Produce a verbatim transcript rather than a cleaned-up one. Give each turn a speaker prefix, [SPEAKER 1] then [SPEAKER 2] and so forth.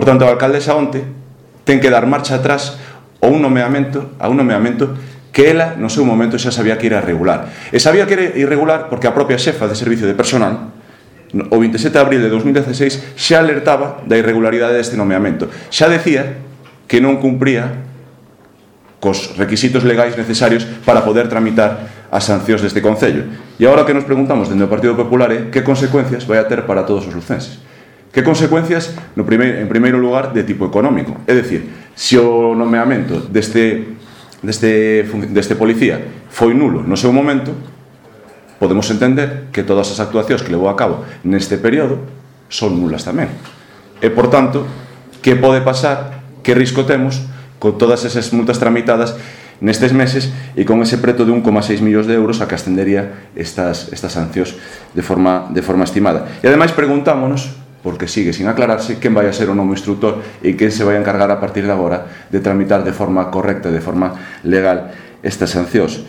[SPEAKER 1] Por tanto, a alcaldesa onte ten que dar marcha atrás a un nomeamento, a un nomeamento que ela, no seu momento, xa sabía que era irregular. E sabía que era irregular porque a propia xefa de servicio de personal, o vinte e sete de abril de dos mil dieciséis, xa alertaba da irregularidade deste nomeamento. Xa decía que non cumpría cos requisitos legais necesarios para poder tramitar as sancións deste Concello. E agora que nos preguntamos dende o Partido Popular é que consecuencias vai a ter para todos os lucenses. Que consecuencias, no primeiro, en primeiro lugar, de tipo económico. É dicir, se o nomeamento deste, deste, deste policía foi nulo no seu momento, podemos entender que todas as actuacións que levou a cabo neste período son nulas tamén. E, por tanto, que pode pasar, que risco temos con todas esas multas tramitadas nestes meses e con ese preto de un coma seis millóns de euros a que ascendería estas, estas sancións de forma, de forma estimada. E ademais preguntámonos, porque sigue sin aclararse, quen vai a ser o novo instructor e quen se vai a encargar a partir de agora de tramitar de forma correcta, de forma legal estas sancións.